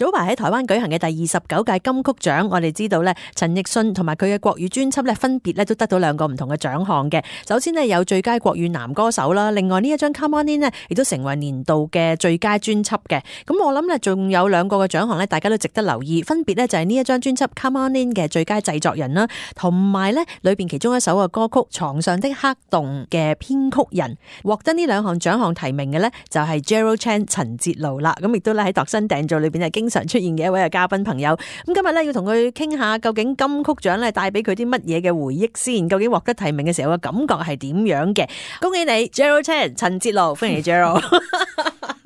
早排喺台灣舉行嘅第29屆金曲獎，我哋知道咧，陳奕迅同埋佢嘅國語專輯咧，分別咧都得到2個唔同嘅獎項嘅。首先呢，有最佳國語男歌手啦，另外呢一張 Come On In 呢，亦都成為年度嘅最佳專輯嘅。咁我諗咧，仲有2個嘅獎項咧，大家都值得留意，分別咧就係呢一張專輯 Come On In 嘅最佳製作人啦，同埋咧裏邊其中一首嘅歌曲《床上的黑洞》嘅編曲人。獲得呢2項獎項提名嘅咧，就係 Gerald Chan 陳哲盧啦。咁亦都咧喺度身訂造裏邊係經常出現嘅一位嘅嘉賓朋友。咁今日咧要同佢傾下，究竟金曲獎咧帶俾佢啲乜嘢嘅回憶先？究竟獲得提名嘅時候嘅感覺係點樣嘅？恭喜你 Gerald Chan 陳哲盧，歡迎你 Gerald。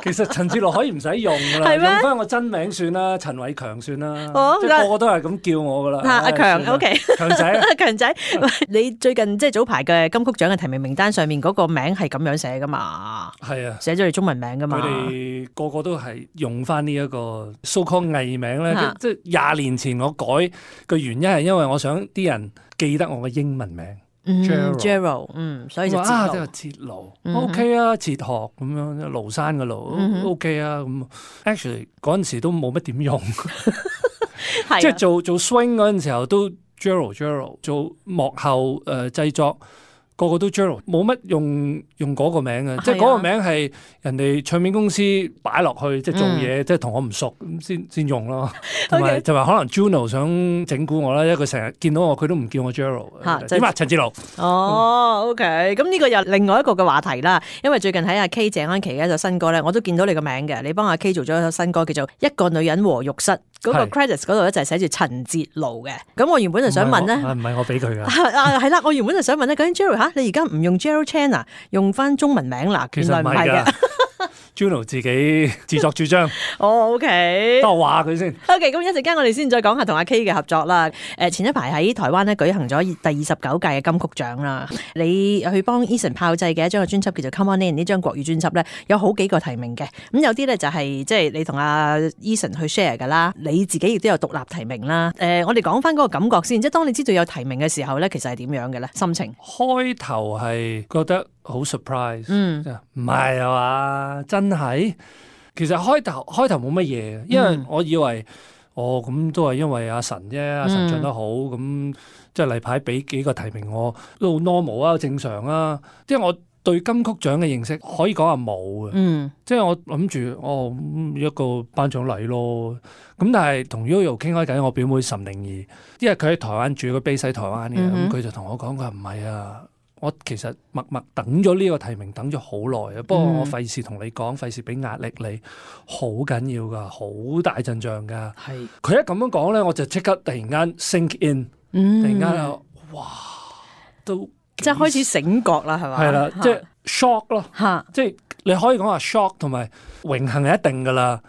其實陳哲盧可以唔使用噶啦，用翻我真名算啦，陳偉強算啦，即係個個都係咁叫我噶啦。阿強 OK， 強仔，強仔，你最近即係早排嘅金曲獎嘅提名名單上面嗰個名係咁樣寫噶嘛？係啊，寫咗你中文名噶嘛？佢哋個個都係用翻呢一個 so-called 藝名咧，即係20年前我改嘅原因係因為我想啲人記得我嘅英文名。Gerald， 所以就即係哲盧 ，OK 啊，哲學咁樣，廬山嘅廬 ，OK 啊，咁 actually 嗰陣時都冇乜點用，即係做 swing 嗰陣時候都 Gerald， 做幕後製作。個個都 Gerald， 冇乜用嗰個名嘅，即係嗰個名係人哋唱片公司擺落去，即係做嘢，即係同我唔熟咁先用咯。同埋就話可能 Juno 想整蠱我啦，因為佢成日見到我，佢都唔叫我 Gerald。點啊，陳哲盧？哦 ，OK， 咁呢個又另外一個嘅話題啦。因為最近喺阿 K 謝安琪嘅一首新歌咧，我都見到你個名嘅，你幫阿 K 做咗一首新歌叫做《一個女人和浴室》。嗰個 credits 嗰度咧就係寫住陳哲盧嘅。咁我原本就想問咧，唔係我俾佢㗎。係啦，我原本就想問咧，究竟 Gerald 你而家唔用 Gerald Chan 啊，用翻中文名啦？原來唔係嘅。Juno 自己自作主張。OK， 多話佢先。OK， 咁一陣間我哋先再講下同阿 K 嘅合作啦。前一排喺台灣咧舉行咗第29屆嘅金曲獎啦。你去幫 Eason 炮製嘅一張嘅專輯叫做 Come On In， 呢張國語專輯咧有好幾個提名嘅。咁有啲咧就係即係你同阿 Eason 去 share 噶啦，你自己亦都有獨立提名啦。我哋講翻嗰個感覺先，即係當你知道有提名嘅時候咧，其實係點樣嘅咧？心情開頭係覺得好 surprise， 唔係啊嘛，真係。其實開頭冇乜嘢，因為我以為咁都係因為阿神啫，阿神唱得好，咁即係例牌俾幾個提名我都好 normal 啊，正常啊。因為我對金曲獎嘅認識可以講係冇嘅，即係我諗住一個頒獎禮咯。咁但係同 Yoyo 傾開偈，我表妹岑寧兒，因為佢喺台灣住，佢 base 喺台灣嘅，咁佢就同我講，佢話唔係啊。我其實默默等咗呢個提名等咗好耐啊，不過我費事同你講，費事俾壓力你，好緊要噶，好大陣仗噶。係佢一咁樣講咧，我就即刻突然間 sink in，突然間哇，都即係開始醒覺啦，係嘛？係啦，即係 shock 咯，即係你可以講話 shock 同埋榮幸係一定噶啦。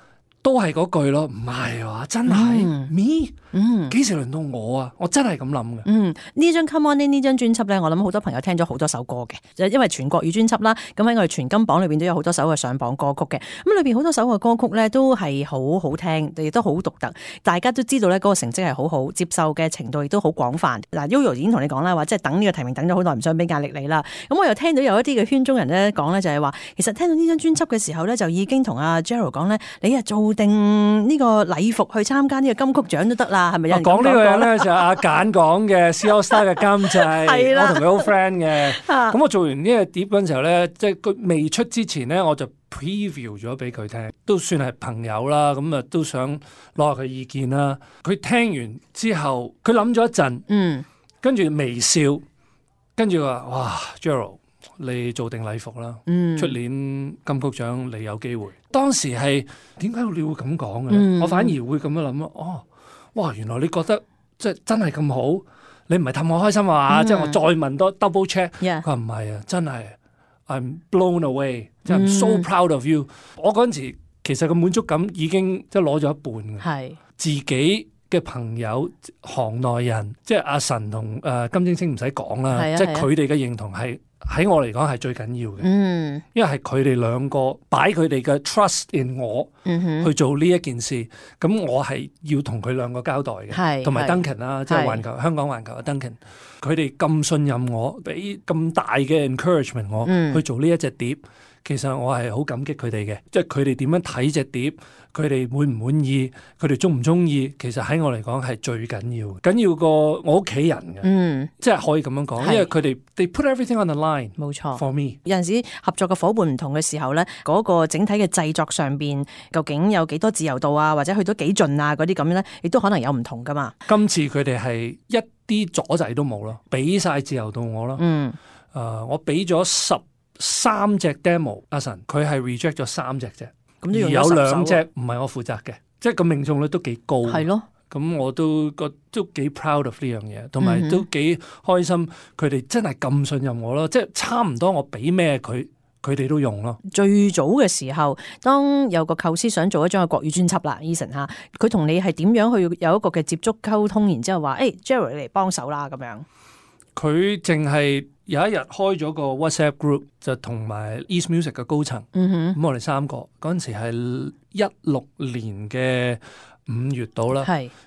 都係嗰句咯，唔係話真係 me， 幾時輪到我啊？我真係咁諗嘅。呢張 Come On In 呢張專輯咧，我諗好多朋友聽咗好多首歌嘅，就因為全國語專輯啦，咁喺我哋全金榜裏邊都有好多首嘅上榜歌曲嘅。咁裏邊好多首嘅歌曲咧都係好好聽，亦都好獨特。大家都知道咧，嗰個成績係好好，接受嘅程度亦都好廣泛。嗱 Yoyo 已經同你講啦，話即係等呢個提名等咗好耐，唔想俾壓力你啦。咁我又聽到有一啲嘅圈中人咧講咧，就係話其實聽到呢張專輯嘅時候咧，就已經同阿 Gerald 講咧，你啊做定呢個禮服去參加呢個金曲獎都得啦，係咪有人講呢個人咧就係阿簡講嘅 C AllStar 嘅監製，我同佢好 friend 嘅。咁我做完呢個碟嗰陣時候咧，即係佢未出之前咧，我就 preview 咗俾佢聽，都算係朋友啦。咁啊都想攞下佢意見啦。佢聽完之後，佢諗咗一陣，跟住微笑，跟住話：哇 Gerald，你做定禮服啦，出年金曲獎你有機會。當時係點解你會咁講嘅？我反而會咁樣諗咯。哇，原來你覺得即係真係咁好，你唔係氹我開心啊？即係我再問多 double check， 佢話唔係啊，真係 I'm blown away， 即係 I'm so proud of you。我嗰陣時其實個滿足感已經即係攞咗一半嘅，自己嘅朋友、行內人，即係阿神同金晶晶唔使講啦，即係佢哋嘅認同係喺我嚟講係最緊要嘅，因為係佢哋兩個擺佢哋嘅 trust in 我去做呢一件事，咁我係要同佢兩個交代嘅，同埋 Duncan 啦，即係香港環球嘅 Duncan， 佢哋咁信任我，俾咁大嘅 encouragement 我去做呢一隻碟。其實我係好感激佢哋嘅，即係佢哋點樣睇隻碟，佢哋滿唔滿意，佢哋中唔中意，其實喺我嚟講係最緊要，緊要過我屋企人嘅，即係可以咁樣講，因為佢哋 they put everything on the line， 冇錯 for me。有陣時合作嘅夥伴唔同嘅時候咧，嗰個整體嘅製作上邊究竟有幾多自由度啊，或者去到幾盡啊嗰啲咁樣咧，亦都可能有唔同噶嘛。今次佢哋係一啲阻滯都冇咯，俾晒自由度我咯。我俾咗13隻 demo， 阿神佢係 reject 咗3隻啫，而有2隻唔係我負責嘅，即係個命中率都幾高。係咯，咁我都幾 proud of 呢樣嘢，同埋都幾開心，佢哋真係咁信任我咯，即係差唔多我俾咩佢哋都用咯。最早嘅時候，當有個構思想做一張嘅國語專輯啦 ，Eason 嚇，佢同你係點樣去有一個嘅接觸溝通，然之後話Gerald 你嚟幫手啦咁樣。佢淨係有一日開咗個 WhatsApp group， 就同埋 East Music 嘅高層，咁我哋3個嗰陣時係16年嘅5月到啦，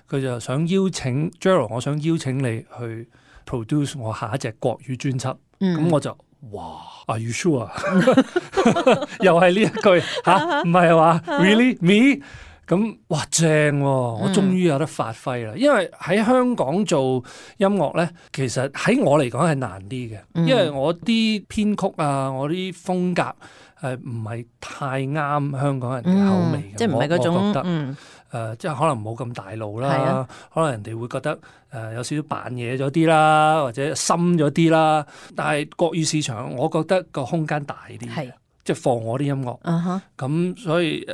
佢就想邀請 Gerald， 我想邀請你去 produce 我下一隻國語專輯，咁我就哇 Are you sure？ 又係呢一句嚇，唔係話 Really me？咁哇正喎，我終於有得發揮啦！因為喺香港做音樂咧，其實喺我嚟講係難啲嘅，因為我啲編曲啊，我啲風格唔係太啱香港人嘅口味嘅，即係唔係嗰種我覺得即係可能冇咁大路啦，可能人哋會覺得有少少扮嘢咗啲啦，或者深咗啲啦。但係國語市場，我覺得個空間大啲。即係放我啲音樂，咁所以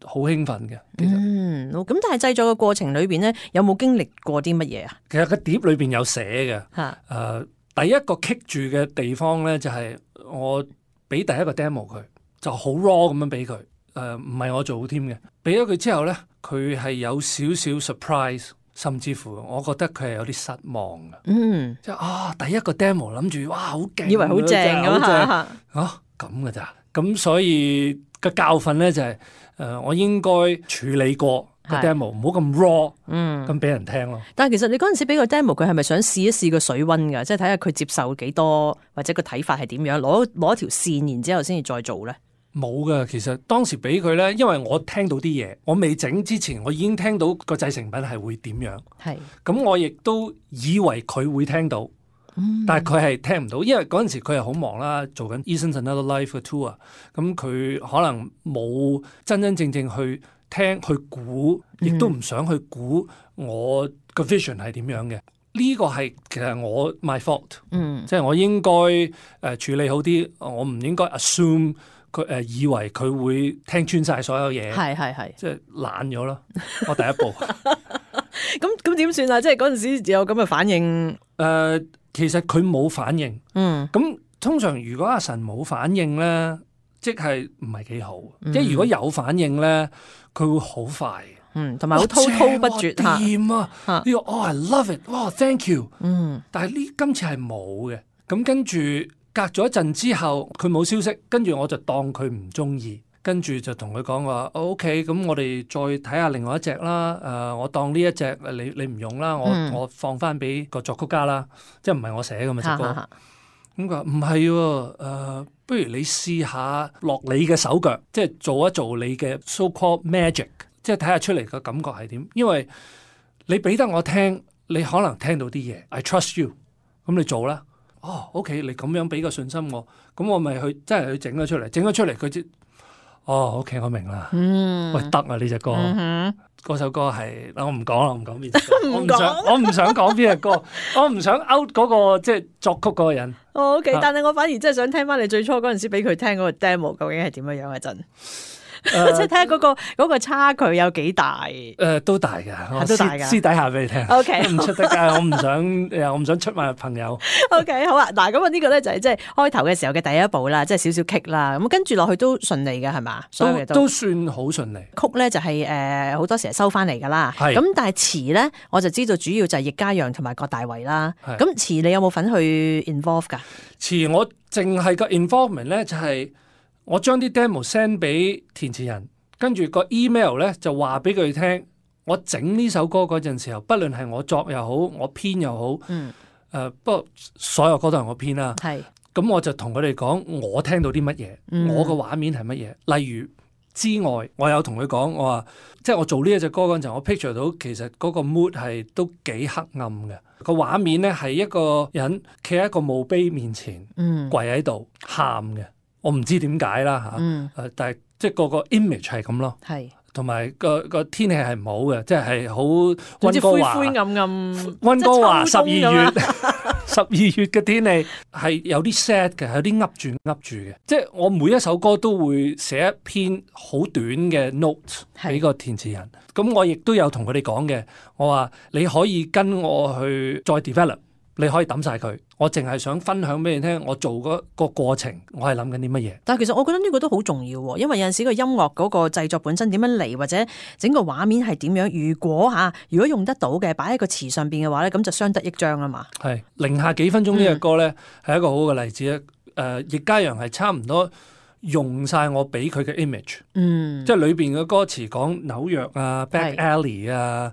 好興奮嘅。咁但係製作嘅過程裏邊咧，有冇經歷過啲乜嘢啊？其實個碟裏邊有寫嘅，第一個棘住嘅地方咧，就係我俾第一個 demo 佢，就好 raw 咁樣俾佢，唔係我做添嘅。俾咗佢之後咧，佢係有少少 surprise， 甚至乎我覺得佢係有啲失望嘅。即係第一個 demo 諗住哇好勁，以為好正咁咁嘅咋？咁所以個教訓咧就係我應該處理過個 demo， 唔好咁 raw，咁俾人聽咯。但係其實你嗰陣時俾個 demo， 佢係咪想試一試個水溫㗎？即係睇下佢接受幾多，或者個睇法係點樣？攞一條線，然之後先至再做咧。冇㗎，其實當時俾佢咧，因為我聽到啲嘢，我未整之前，我已經聽到個製成品係會點樣。咁我亦都以為佢會聽到。但係佢係聽唔到，因為嗰陣時佢係好忙啦，做緊 Eason's Another Life 嘅 tour，咁佢可能冇真真正正去聽去估，亦都唔想去估我個 vision 係點樣嘅。呢個係其實我 my fault，即係我應該處理好啲，我唔應該 assume 佢以為佢會聽穿晒所有嘢，即係懶咗咯。我第一步，咁點算啊？即係嗰陣時有咁嘅反應，其實佢冇反應，咁通常如果阿神冇反應咧，即係唔係幾好。即係如果有反應咧，佢會好快，同埋好滔滔不絕。掂啊！呢個I love it， 哇 ，thank you。但係今次係冇嘅。咁跟住隔咗一陣之後，佢冇消息，跟住我就當佢唔中意。跟住就同佢講話，OK，咁我哋再睇下另外一隻啦。我當呢一隻你唔用啦，我放翻俾個作曲家啦，即係唔係我寫嘅嘛隻歌。咁佢話唔係喎，不如你試下落你嘅手腳，即係做一做你嘅 so-called magic， 即係睇下出嚟嘅感覺係點。因為你俾得我聽，你可能聽到啲嘢 ，I trust you， 咁你做啦。OK， 你咁樣俾個信心我，咁我咪去真係去整咗出嚟，整咗出嚟佢知。OK， 我明啦。喂，得啊呢隻歌，嗰首歌係我唔講啦，唔講邊隻歌，我唔想講邊隻歌，我唔想 out 嗰個即係作曲嗰個人。OK， 但係我反而真係想聽翻你最初嗰陣時俾佢聽嗰個 demo 究竟係點樣樣嘅陣。即係睇下嗰個差距有幾大？都大㗎，都大㗎。私底下俾你聽。OK， 唔出得街，我唔想出賣朋友。OK， 好啊。嗱，咁呢個咧就係即係開頭嘅時候嘅第一步啦，即係少少棘啦。咁跟住落去都順利嘅係嘛？所有嘢都算好順利。曲咧就係好多時係收翻嚟㗎啦。咁但係詞咧，我就知道主要就係易家揚同埋郭大為啦。咁詞你有冇份去 involve 㗎？詞我淨係個 involvement 咧就係。我將啲 demo send 俾填詞人，跟住個 email 咧就話俾佢聽，我整呢首歌嗰陣時候，不論係我作又好，我編又好，不過所有歌都係我編啦。咁我就同佢哋講我聽到啲乜嘢，我個畫面係乜嘢。例如之外，我有同佢講，我話即係我做呢一隻歌嗰陣，我 picture 到其實嗰個 mood 係都幾黑暗嘅。個畫面咧係一個人企喺一個墓碑面前，跪喺度喊嘅。我唔知點解啦嚇，但係即係個 image 係咁咯。係。同埋個天氣係唔好嘅，即係好溫哥華灰灰暗暗。溫哥華12月12月嘅天氣係有啲 sad 嘅，有啲噏住嘅。即係我每一首歌都會寫一篇好短嘅 note 俾個填詞人。咁我亦都有同佢哋講嘅，我話你可以跟我去再 develop。你可以抌晒佢，我淨係想分享俾你聽，我做嗰個過程，我係諗緊啲乜嘢。但係其實我覺得呢個都好重要喎，因為有陣時個音樂嗰個製作本身點樣嚟，或者整個畫面係點樣，如果用得到嘅，擺喺個詞上邊嘅話咧，咁就相得益彰啊嘛。係零下幾分鐘呢個歌咧，係一個好嘅例子咧。易家揚係差唔多用晒我俾佢嘅 image，即係裏邊嘅歌詞講紐約啊、back alley 啊、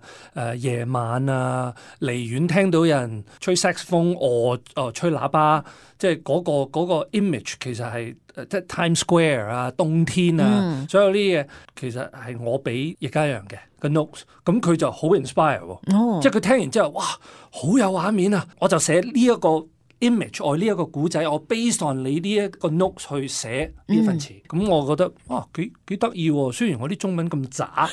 夜晚啊、離遠聽到有人吹 saxophone 吹喇叭，即係嗰個 image 其實係即係 Times Square 啊、冬天啊，所有呢啲嘢其實係我俾易家揚嘅個 notes，咁佢就好 inspire 喎，即係佢聽完之後，哇，好有畫面啊！我就寫呢一個 image 我呢一個古仔，我 based on 你呢一個 note 去寫呢份詞，咁我覺得哇幾得意喎！雖然我啲中文咁渣，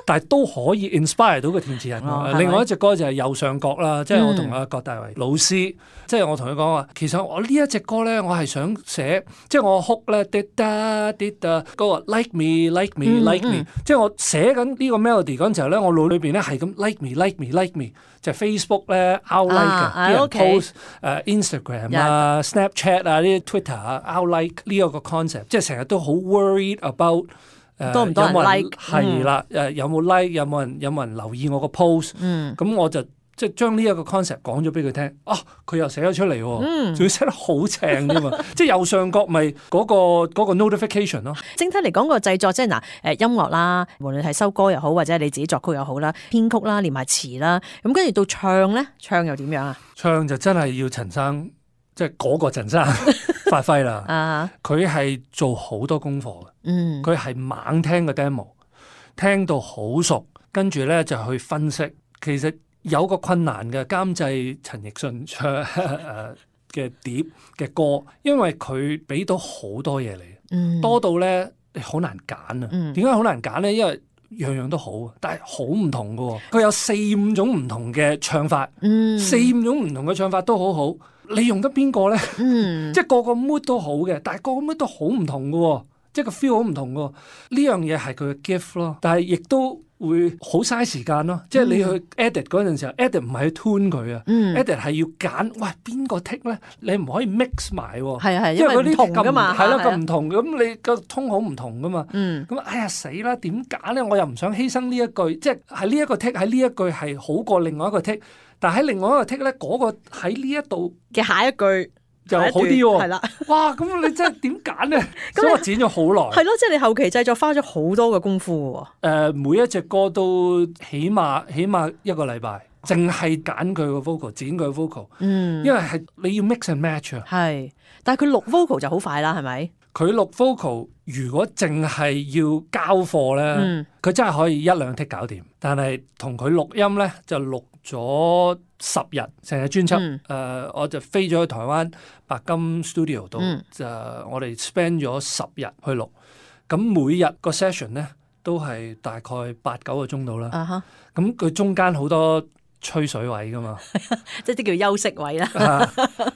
但係都可以 inspire 到個填詞人。另外一隻歌就係右上角啦，即係我同阿郭大為老師，即係我同佢講話，其實我呢一隻歌咧，我係想寫，即係我 hook 咧，滴答滴答嗰個 like me，即係我寫緊呢個 melody 嗰陣時候咧，我腦裏邊咧係咁 like me，就係 Facebook 咧 out like 嘅，啲人 post Instagram 啊、Snapchat 啊、呢啲 Twitter 啊 out like 呢一個 concept， 即係成日都好 worried about 多唔多人 like 係啦，有冇 like 有冇人留意我個 post，咁我就即係將呢一個 concept 講咗俾佢聽，佢又寫咗出嚟喎，仲要寫得好正添嘛，即係右上角咪嗰個 notification 咯。整體嚟講個製作即係音樂啦，無論係收歌又好，或者你自己作曲又好啦，編曲啦，連埋詞啦，咁跟住到唱咧，唱又點樣啊？唱就真係要陳生，即係嗰個陳生發揮啦。佢係做好多功課嘅，佢係猛聽個 demo， 聽到好熟，跟住咧就去分析。其實有個困難嘅監製陳奕迅唱嘅碟嘅歌，因為佢俾到好多嘢嚟，多到咧好難揀啊！點解好難揀咧？因為樣樣都好，但係好唔同㗎喎。佢有4-5種唔同嘅唱法，4-5種唔同嘅唱法都好好。你用得邊個咧？即係個 mood 都好嘅，但係個 mood 都好唔同㗎喎，即係個 feel 好唔同㗎喎。呢樣嘢係佢嘅 gift 咯，但係亦都會好嘥時間咯，即係你去 edit 嗰陣時候，edit 唔係去 tune 佢啊，edit 係要揀，喂邊個 take 咧？你唔可以 mix 埋喎，因為嗰啲唔同噶嘛，係咯咁唔同，咁你個 tone 好唔同噶嘛，咁哎呀死啦，點揀咧？我又唔想犧牲呢一句，即係喺呢一個 take 喺呢一句係好過另外一個 take，但係喺另外一個 take 咧，嗰個喺呢一度嘅下一句就好啲喎，係啦，哇！咁你真係點揀咧？所以我剪咗好耐。係咯，即係你後期製作花咗好多嘅功夫喎。每一隻歌都起碼1個禮拜，淨係揀佢個 vocal， 剪佢個 vocal。因為係你要 mix and match 啊。係，但係佢錄 vocal 就好快啦，係咪？佢錄 vocal 如果淨係要交貨咧，佢真係可以1-2 take 搞掂。但係同佢錄音咧，就錄咗10日，成日專輯。我就飛咗去台灣白金 studio 度，就我哋 spend 咗10日去錄。咁每日個 session 咧都係大概8-9個鐘度啦。咁佢中間好多吹水位噶嘛，即係啲叫休息位啦。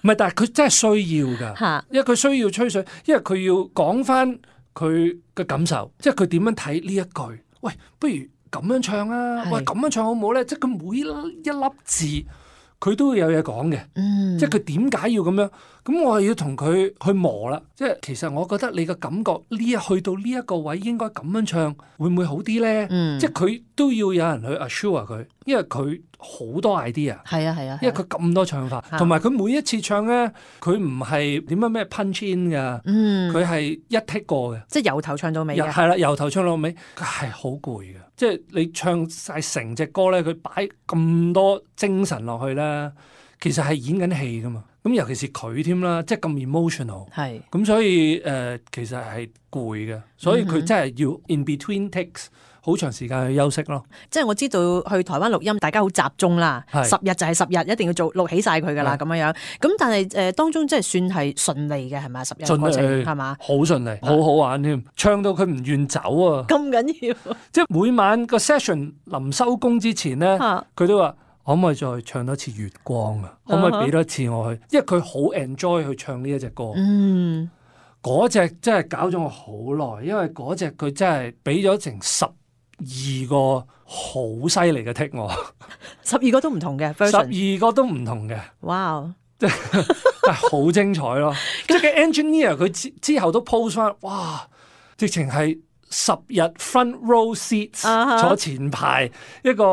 唔係，但係佢真係需要㗎，因為佢需要吹水，因為佢要講翻佢嘅感受，即係佢點樣睇呢一句。喂，不如咁樣唱啊！喂，咁樣唱好唔好咧？即係佢每一粒字，佢都會有嘢講嘅。即係佢點解要咁樣？咁我係要同佢去磨啦。即係其實我覺得你嘅感覺去到呢一個位應該咁樣唱，會唔會好啲咧？即係佢都要有人去 assure 佢，因為佢好多 idea。係啊，因為佢咁多唱法，同埋佢每一次唱咧，佢唔係點樣咩 punch in 㗎，佢係一 take 過嘅，即係由頭唱到尾嘅。係啦，由頭唱到尾，佢係好攰嘅。即係你唱晒成隻歌咧，佢擺咁多精神落去咧，其實係演緊戲噶嘛。咁尤其是佢添啦，即係咁 emotional， 係咁所以其實係攰嘅，所以佢真係要 in between takes 好長時間去休息咯。即係我知道去台灣錄音，大家好集中啦，10日就係10日，一定要錄起晒佢噶啦，咁樣樣。咁但係當中即係算係順利嘅係咪？10日嘅過程係嘛？好順利，好好玩添，唱到佢唔願走啊！咁緊要，即係每晚個 session 臨收工之前咧，佢都話。可唔可以再唱多次月光啊？可唔可以俾多次我去？因為佢好 enjoy 去唱呢一隻歌。嗰隻真係搞咗我好耐，因為嗰隻佢真係俾咗成12個好犀利嘅 take 我。12個都唔同嘅 version，12個都唔同嘅。哇！即係好精彩咯！即係個 engineer 佢之後都 post 翻，哇！直情係。10日 front row seats 坐前排一個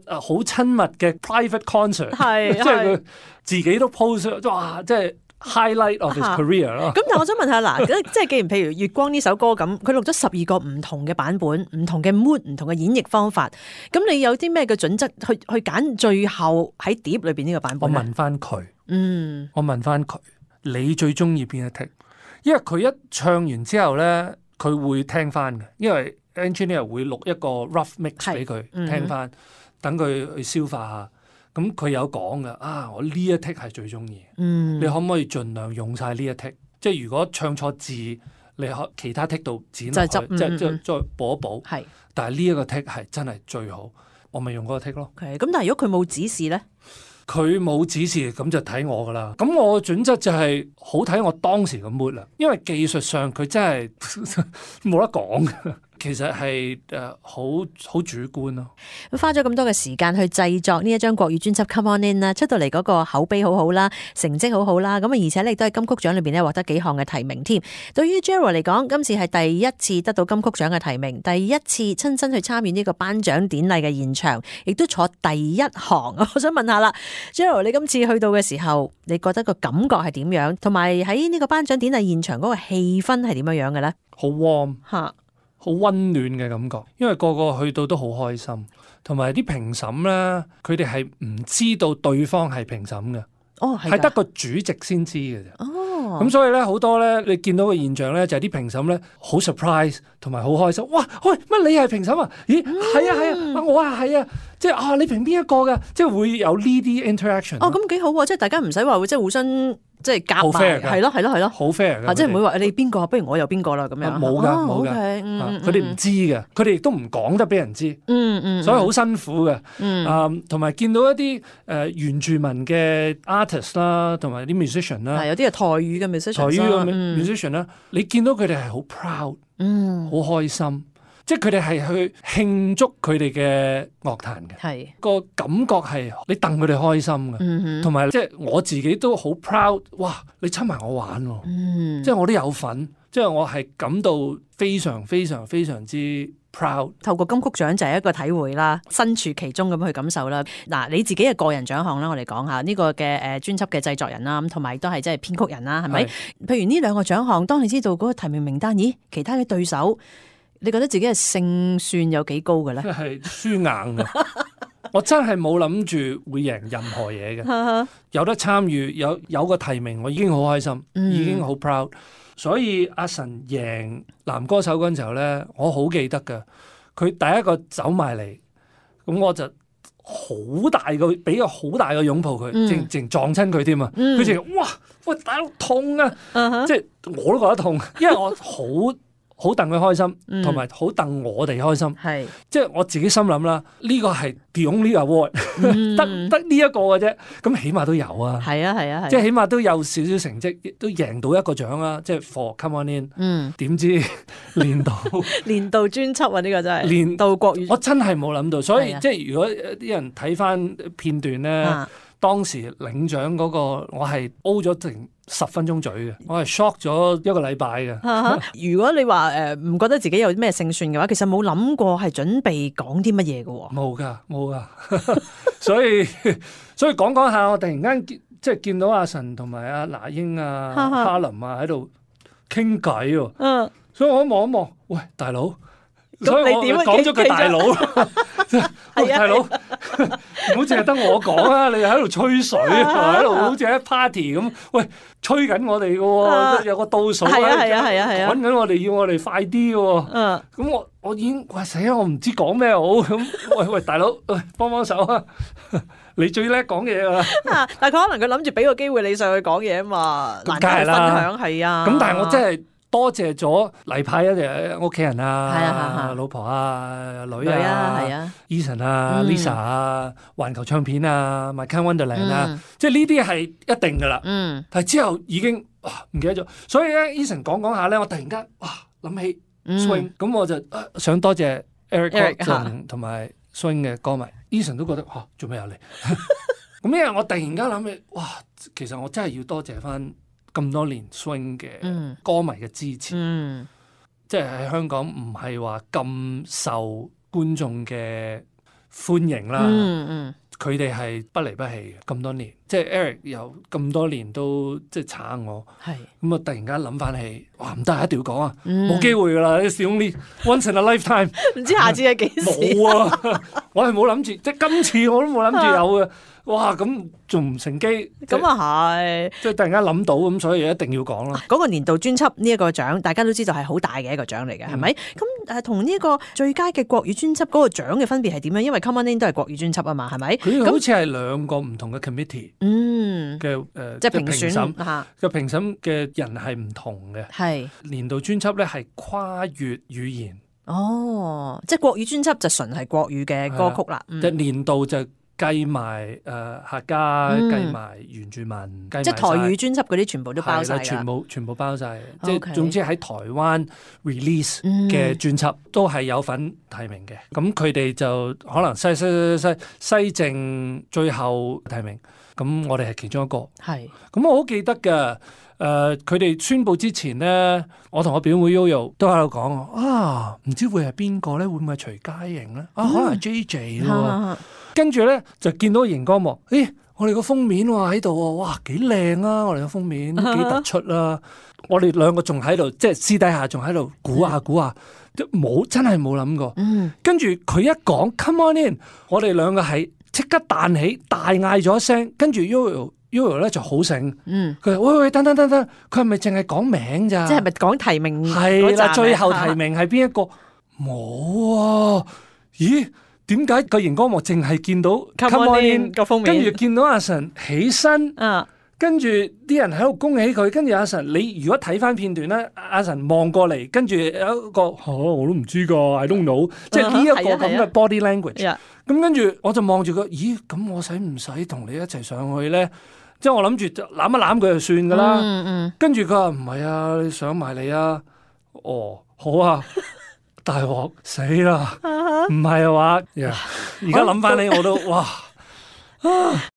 好親密嘅 private concert， 即係佢自己都 post 哇，即係 highlight of his career 咯。咁但係我想問下嗱，即係既然譬如月光呢首歌咁，佢錄咗12個唔同嘅版本、唔同嘅 mood、唔同嘅演繹方法，咁你有啲咩嘅準則去揀最後喺碟裏邊呢個版本？我問翻佢，我問翻佢，你最中意邊一 take？ 因為佢一唱完之後咧。佢會聽翻嘅，因為 engineer 會錄一個 rough mix 俾佢聽翻，等佢去消化下。咁佢有講嘅，我呢一 take 係最中意。你可唔可以盡量用晒呢一 take？ 即係如果唱錯字，你可其他 take 度剪落去，即係再補一補。係，但係呢一個 take 係真係最好，我咪用嗰個 take 咯。咁但係如果佢冇指示咧？佢冇指示，咁就睇我噶啦。咁我嘅準則就係好睇我當時嘅 mood 啦。因為技術上佢真係冇得講嘅，其實係好主觀咯。花咗咁多嘅時間去製作呢一張國語專輯《Come On In》啦，出到嚟嗰個口碑好好啦，成績好好啦。咁而且你都係金曲獎裏邊咧獲得幾項嘅提名添。對於 Gerald 嚟講，今次係第一次得到金曲獎嘅提名，第一次親身去參與呢個頒獎典禮嘅現場，亦都坐第一行。我想問下啦，Gerald， 你今次去到嘅時候，你覺得個感覺係點樣？同埋喺呢個頒獎典禮現場嗰個氣氛係點樣樣嘅咧？好 warm 嚇。好溫暖嘅感覺，因為個個去到都好開心，同埋啲評審咧，佢哋係唔知道對方係評審嘅，係得個主席先知嘅啫。咁所以咧，好多咧，你見到嘅現象咧，就係啲評審咧好 surprise 同埋好開心。哇，喂，乜你係評審啊？咦，係啊，我係啊，即係你評邊一個㗎？即係會有呢啲 interaction。咁幾好喎！即係大家唔使話即係互相。即係夾埋，係咯，好 fair 嘅，即係唔會話你邊個，不如我又邊個啦咁樣。冇㗎，佢哋唔知嘅，佢哋亦都唔講得俾人知。所以好辛苦嘅。同埋見到一啲原住民嘅 artist 啦，同埋啲 musician 啦，有啲係台語嘅 musician 啦，你見到佢哋係好 proud，好開心。即係佢哋係去慶祝佢哋嘅樂壇嘅，個感覺係你戥佢哋開心嘅，同埋即係我自己都好 proud。哇！你親埋我玩喎，即係我都有份，即係我係感到非常非常非常之 proud。透過金曲獎就係一個體會啦，身處其中咁去感受啦。嗱，你自己嘅個人獎項啦，我哋講下呢個嘅專輯嘅製作人啦，同埋都係即係編曲人啦，係咪？譬如呢兩個獎項，當你知道嗰個提名名單，咦，其他嘅對手？你覺得自己嘅勝算有幾高嘅咧？真係輸硬嘅，我真係冇諗住會贏任何嘢嘅。有得參與，有個提名，我已經好開心，已經好 proud。所以阿神贏男歌手嗰陣時候咧，我好記得㗎。佢第一個走埋嚟，咁我就好大個，俾個好大個擁抱佢，淨撞親佢添啊！佢淨哇，喂大佬痛啊！即係我都覺得痛，因為我好戥佢開心，同埋好戥我哋開心。係，即係我自己心諗啦，呢個係 the only award，得呢一個嘅啫。咁起碼都有啊。係啊，即係起碼都有少少成績，都贏到一個獎啦。即係 for Come On In。點知年度專輯啊？呢個真係年度國語。我真係冇諗到，所以即係如果啲人睇翻片段咧，當時領獎嗰個我係 O 咗成10分鐘嘴嘅，我係 shock 咗一個禮拜嘅。如果你話唔覺得自己有啲咩勝算嘅話，其實冇諗過係準備講啲乜嘢嘅喎。冇噶，所以講下，我突然間即係見到阿神同埋阿那英啊、哈林啊喺度傾偈喎。所以我一望一望，喂大佬，所以我講咗句大佬，大佬。唔好淨係得我講啊！你喺度吹水，喺度好似喺 party 咁，喂，吹緊我哋嘅喎，有個倒數趕緊我哋，要我哋快啲嘅喎。咁我已經喂死啦！我唔知講咩好咁。喂，大佬，喂，幫幫手啊！你最叻講嘢啊！但係佢可能佢諗住俾個機會你上去講嘢啊嘛，難得分享係啊。咁但係我真係多謝咗例牌一啲屋企人啊、老婆啊、女啊、Eason 啊、Lisa 啊、環球唱片啊、My Kind Wonderland 啊，即係呢啲係一定噶啦。但係之後已經唔記得咗，所以咧 Eason 講下咧，我突然間諗起 swing，咁我就想多謝 Eric 同埋 swing 嘅歌迷。Eason 都覺得做咩有你？咁因為我突然間諗起，其實我真係要多謝翻咁多年 swing 嘅歌迷嘅支持，即係喺香港唔係話咁受觀眾嘅歡迎啦。佢哋係不離不棄嘅咁多年，即係 Eric 有咁多年都即係撐我，咁啊突然間諗翻起，唔得，一定要講啊，冇機會噶啦，It's the only once in a lifetime， 唔知下次係幾時？冇啊，我係冇諗住，即係今次我都冇諗住有嘅。哇！咁仲唔乘機？咁啊係，即係突然間諗到咁，所以一定要講啦。嗰個年度專輯呢一個獎，大家都知道係好大嘅一個獎嚟嘅，係咪？咁同呢個最佳嘅國語專輯嗰個獎嘅分別係點樣？因為 Come On In 都係國語專輯啊嘛，係咪？佢好似係兩個唔同嘅 committee 嘅即係評選嘅評審嘅人係唔同嘅。係年度專輯咧係跨越語言。即係國語專輯就純係國語嘅歌曲啦。即係年度就計埋客家，計埋原住民，即係台語專輯嗰啲全部都包晒，全部包晒。即係總之喺台灣 release 嘅專輯都係有份提名嘅。咁佢哋就可能西正最後提名，咁我哋係其中一個。係。咁我好記得㗎。佢哋宣佈之前咧，我同我表妹 Yoyo 都喺度講唔知會係邊個咧？會唔會係徐佳瑩咧？可能係 JJ 咯。跟住咧就見到熒光幕，我哋個封面喺度喎，哇幾靚啊！我哋個封面幾突出啦。我哋兩個仲喺度，即係私底下仲喺度估下，真係冇諗過。跟住佢一講 Come On In， 我哋兩個係即刻彈起，大嗌咗一聲，跟住 Yoyo 咧就好醒，佢話喂等，佢係咪淨係講名咋？即係咪講提名？係啦，最後提名係邊一個？冇啊！咦？點解個熒光幕淨係見到 Come On In 個封面，跟住見到阿神起身，跟住啲人喺度恭喜佢，跟住阿神，你如果睇翻片段咧，阿神望過嚟，跟住有一個我都唔知㗎 I don't know， 即係呢一個咁嘅 body language。咁跟住我就望住佢，咦？咁我使唔使同你一齊上去咧？即係我諗住攬一攬佢就算㗎啦。跟住佢話唔係啊，你上埋嚟啊？好啊。大鑊死啦！唔係啊話，而家諗翻起我都哇〜